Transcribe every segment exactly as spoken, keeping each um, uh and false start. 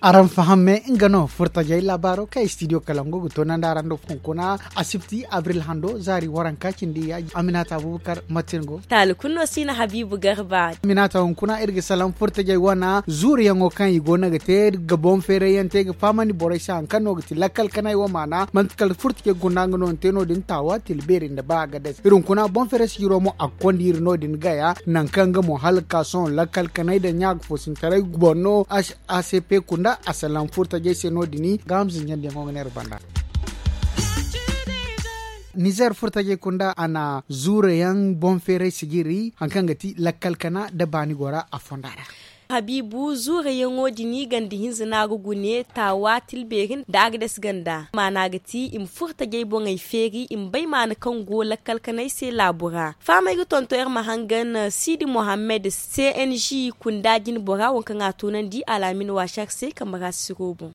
Araŋ faham me nga no furtajey laabaaro kaŋ studio kalango ga toonandi araŋ do hunkuna, asibti abril hando zaari waranka cindi yaaji aminata abubakar matin go. Taali kulu no si na habiibu garba. Aminata hunkuna iri ga salaŋ furtajey wana zuuriyaŋo kaŋ i go no ga te ga boŋ feerayyaŋ te ga fahamandi borey se hari kaŋ no ga ti lakkal kanay wo maana manti kala furtajey gunda nga no ni te no- din taawa tila beeri nda ba a ga day se iri hunkuna boŋ feeray sijiro mo a ga konda iri no- din gaya nangu kaŋ nga mo hala ga ka sohõ lakkal kanay nda ɲa ga foosintaray boŋ no. A c p kunda a salaŋ furtajey se no- din ga hamza ɲandiyaŋo ga neera banda. Nizeer furtajey kunda a na zuurayaŋ boŋ feeray sijiri hari kaŋ ga ti lakkal kana nda baani gora a fonda ra. Habiibu zuurayaŋo din ganda hinza no a ga gune taawa tilbeeri nda a ga dasi ganda maana ga ti i ma furtajey boŋey feeri i ma bay maana kaŋ go lakkal kanay se laabo ra. Fahamay ga tonton iri ma hangan siidi mohammed c n g kunda jinbora waŋ kaŋ a toonandi alaamin waasar se kambe ra siro boŋ.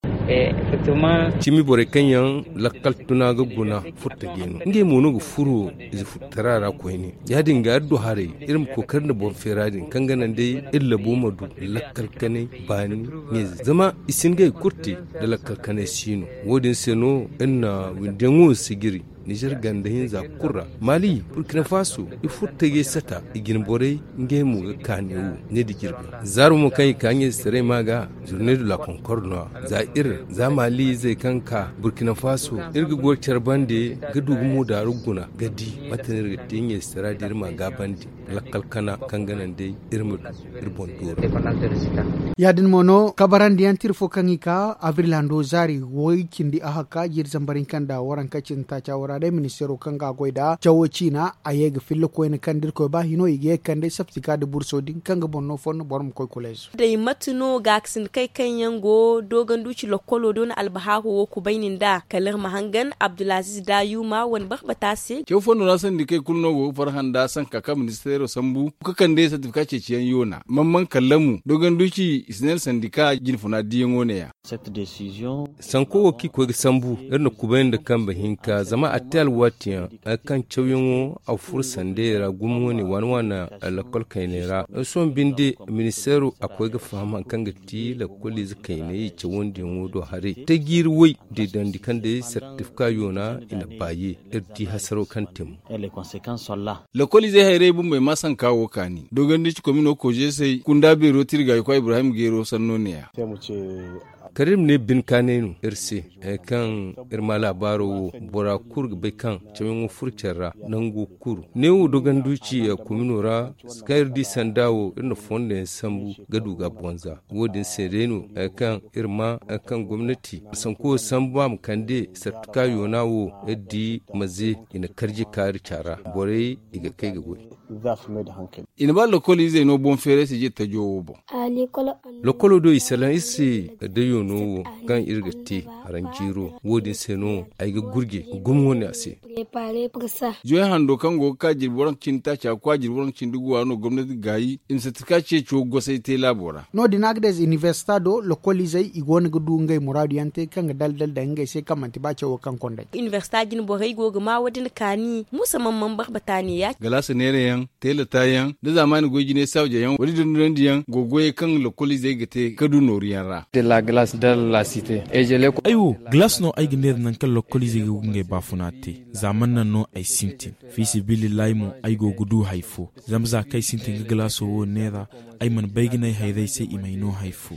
Cimi borey kaŋ yaŋ lakkal tuna ga guna furtajey no ngey mo no ga furo ize furtara ra koyne. Ya- din ga iri du haray iri ma kookari nda boŋ feera din kaŋ ga naŋ day iri labo ma du lakkal kanay baani ɲayze zama i si hin ga hari kulu te nda lakkal kanay si no. Wo- din se no iri na windiyaŋo sijiri nizer ganda hinza kulu ra, mali burkina faso, i furtajey sata i jine borey ngey mo ga ka neewo ne da jirbi. Zaaro mo kaŋ i ka ɲayzetaray ma ga zurne du la konkor no- ya za iri za mali izey kaŋ ka burkina faso iri ga goy care bande ga du ga mo daaru guna ga di mate no iri ga te ɲayzetara da iri ma gaabandi. Lakkal kana kaŋ ga naŋ day iri ma du iri boŋ dooro. Ya- din mo no kabarandiyaŋ tira fo kaŋ i ka abril hando zaari way cindi ahakka jiiri zambar hinka nda waranka cindi taaca wo ra day ministeero kaŋ ga a goy nda cawo ciina a ye ga filla koyne kaŋ da irkoy ba hino i ga ye ga kande saptika nda burso din kaŋ ga boŋ no fondo boro ma koy kuleezo. Day mate no gaakasinda kay kaŋ yaŋ go dooganduci lokkolo do na albahaaro wo kubayni nd'a kala iri ma hangan abdulaziz dayuma wane barbata se. Caw fondo ra sandi kay kulu no go ga farhã nda sanka kaŋ ministeero sambu ga kande sartifika ceeciyaŋ yoona man man kallamu dooganduci i si ne sandika jinfuna diyaŋo ne- ya. Sanko wo kaŋ i koy ga sambu iri na kubay nda kambe hinka zama a te alwaatiyaŋ hari kaŋ cawyaŋo a furo sandayey ra gumo wane waana waana lakkol kayney ra. Sohõ binde ministeero a koy ga faham hari kaŋ ga ti lakkoliize kayney cawandiyaŋo do haray te jiiri way deedandi kaŋ day sartifika yoona i na baaye. Iri di hasaro kaŋ te mo. Lakkoliizey hayrey bumbey ma sanka wo kaani dogandi ci komino kojeesey kunda beero tirgaayukwa ibrahim geero sanno neeya. Kala iri ma ne binkaanay no iri se hari kaŋ iri ma laabaaro wo bora kulu ga bay kaŋ cawyaŋo furo care ra nango kulu neewo dogandu ci komino ra. Kaŋ iri di sanda wo iri na fondo yaŋ sambu ga du ga bonza wo- din se day no hari kaŋ iri ma hari kaŋ gomnati sanko sambu a ma kande sartuka yoona wo iri di maze i na karji kaari caara borey i ga kay ga goy. I na ba lokol izey no boŋ feeray se jiri tajo wo boŋ. Lokolo do i salaŋ iri se da yoono wo kaŋ iri ga te haranjiiro wo- din se no ay ga gurje ga gumŋo ne a se. Joy hando kaŋ go ga ka jirbi waranka cindi taaca ga kwa jirbi waranka cindi guwa no gomnati ga gaayi i ma satika ceeco gosay te laabo ra. No- din a ga day za inibersita do lokoliizey i go no ga du ngey muraadu yaŋ te kaŋ ga daldal daŋ ngey se kaŋ manti ba cawo kaŋ kondey. Inibersita jine borey go ga ma wo- din kaani muusa man man barbata ne ya- galaasa neerayaŋ teelata yaŋ da zaamaani goy jinay sawja yaŋ wala dondonandi yaŋ go ga goyey kaŋ lokoliizey ga te ga du nooru yaŋ ra. Ay wo galaas no ay ga neera nangu kaŋ lokoliizey ga ngey baafuna te. Za man naŋ no ay sintin fi sabilillahi mo ay go ga du hari fo. Zama za kaŋ ay sintin ga galaaso wo neera ay mana bay ga ne ay hayrey se i m'ay no hari fo.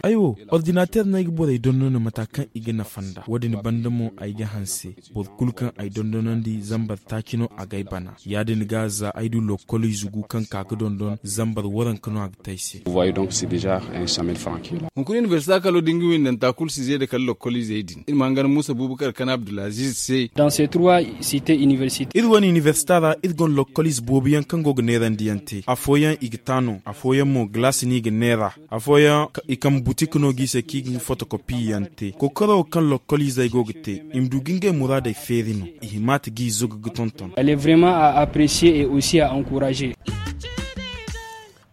Ay wo ordinateer no ay ga borey dondon mata kaŋ i ga nafa nd'a wo- din banda mo ay ga hanse boro kulu kaŋ ay dondonandi zambar taaci no a g'ay bana. Ya- din ga za ay du lokoliize gu kaŋ ka ga dondon zambar waranka no a ga te ay se. Hunkuna inibersita kalo da nga windanta kulu si zeeda kala lokoliizey din iri ma hangan muusa buubakar kana abdulaziz se. Iri wane inibersita ra iri gonda lokoliize boobo yaŋ kaŋ go ga neerandi yaŋ te afooyaŋ i ga taano afooyaŋ mo galaasi no i ga neera. Afooyaŋ i kambe butik no g'i se kaŋ i ga nga fotokopi yaŋ te kokoro kaŋ lokoliizey go ga te i ma du ga ngey muraadey feeri no. I hima ta g'i zuga ga tonton.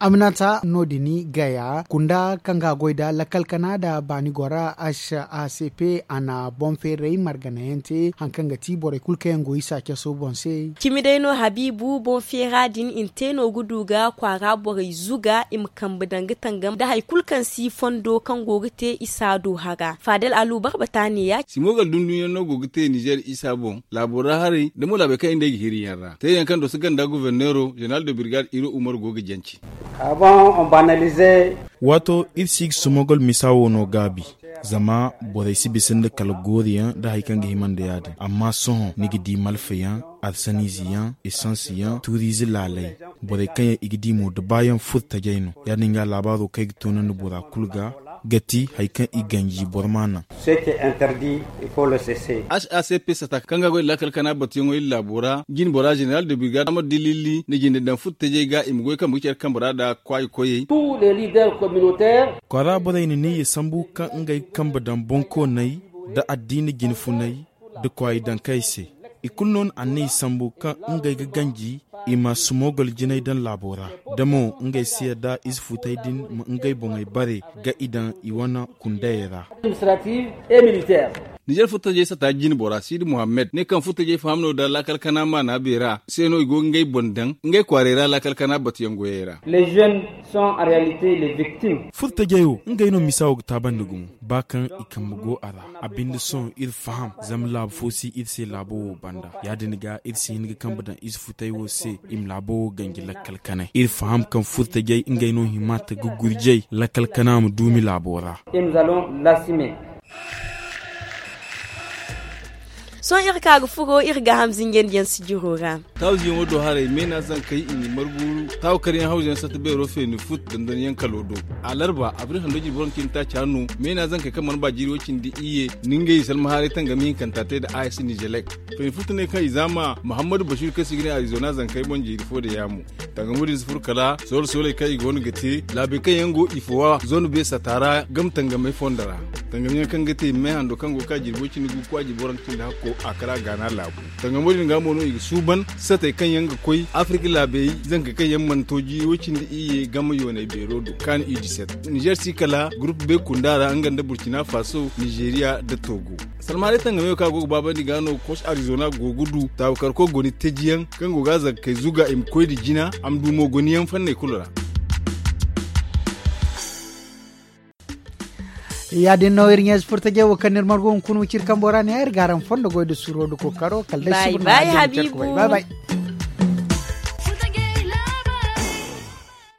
Aminata no- din gaya kunda kaŋ ga a goy nda lakkal kana nda baani gora h a c p a na boŋ feeray margana yaŋ te hari kaŋ ga ti borey kulu kaŋ yaŋ go isa caso boŋ se. Cimi day no habiibu boŋ feera din i na te no ga du ga kwaara borey zuga i ma kambe daŋ ga tangam nda hari kulu kaŋ si fondo kaŋ go ga te isa do hara faadal alu barbata ne ya- Simogal dundunyaŋ no go ga te nizer isa boŋ laabo ra haray da mo laabey kaŋ i nda ay ga hiri yaŋ ra teeyaŋ kaŋ doso ganda goborneero zeneral de birgad iro umar go ga jance. Waato iri si ga sumogol misa wo no gaabi. Zama borey si bisa nda kala gooriyaŋ nda hari kaŋ ga hima nda ya- din amma sohõ ni ga di malfayaŋ, arsaniize yaŋ, esans yaŋ tuuriize laaley. Borey kaŋ yaŋ i ga di mo da baayaŋ furo tajey no. Ya- din ga laabaaro kaŋ ay ga toonandi bora kulu ga ga ti hari kaŋ i ganji boro ma naŋ. H a c p sata kaŋ ga a goy da laakal kana batuyaŋo iri laabo ra jine bora zeneral de birgad amadu dililli na jinde daŋ furo tajey ga i ma goy kambe ga care kambe ra nda kwaayi koyey. Kwaara borey na neeya sambu kaŋ ngey ga kambe daŋ boŋkooney nda addiina jine funey nda kwaayi daŋ kay se. I kulu no na anniya sambu kaŋ ngey ga ganji i ma sumogol jinay daŋ laabo ra da mo ngey si yadda ize futey din ma ngey boŋey bare ga i daŋ i wane kundayey ra. Nizer furtajey sata jine bora sidi muhammed ne kaŋ furtajey faham no da laakal kana maana beera se no i go ga ngey boŋ daŋ ngey kwaarey ra laakal kana batuyaŋ goyey ra. Furtajey wo ngey no misa wo ga taabandi gumo ba kaŋ i kambe go a ra. A binde sohõ iri faham zama laabu fo si iri se laabo wo banda ya- din ga iri si hin ga kambe daŋ ize futey wo se i ma laabo wo ganji lakkal kanay iri faham kaŋ furtajey ngey no hima ta ga gurjey lakkal kana ma duumi laabo ra. Sohõ iri ka ga furo iri gaaham zinjandi yaŋ sijiro ra. Taawu ziyaŋo do haray meena zankey i na i margu taawu karyaŋ hawza yaŋ satta beero feeni fut dandan yaŋ kalo do. Alarba abril hando jirbi waranka cindi taaci hanno meena zankey kaŋ mana ba jiiri way cindi iyye na ngey salma haaray tangami hinkanta te nda a s nizelek. Feeni fut ne kaŋ i zaama muhammadu basiru kaŋ se i ga ne arizona zankey boŋ jiiri fo da yaamo. Tangamo din si furo kala soolo sooley kaŋ i go no ga te laabey kaŋ yaŋ go i fo wa zone be sata ra game tangamey fondo ra. Tangamyaŋ kaŋ ga te me hando kaŋ go ga ka jirbi way cindi gu kwaajirbi waranka cindi hakko a kara gaana laabu. Tangamo din ga mo no i ga suuban satey kaŋ yaŋ ga koy afirka laabey zankey kaŋ yaŋ mana to jiiri way cindi iyye game yooney beero do kaani i diset nizer si kala gurupu be kunda ra nga nda burkina faso nizeriya nda togo. Salmaaney tangamayo kaŋ a go ga baabandi ga no koc arizona go ga du taawukarko goni tejiyaŋ kaŋ go ga a zankey zuga i ma koy nda jina a ma du mo goniyaŋ fanney kulu ra. Ya- din no iri ɲeezi furtajey wo kaŋ no iri margu hunkuna wiciri kambo ra ne iri ga araŋ fondo goy nda suro nda kookaro kala day suba no. Bay bay.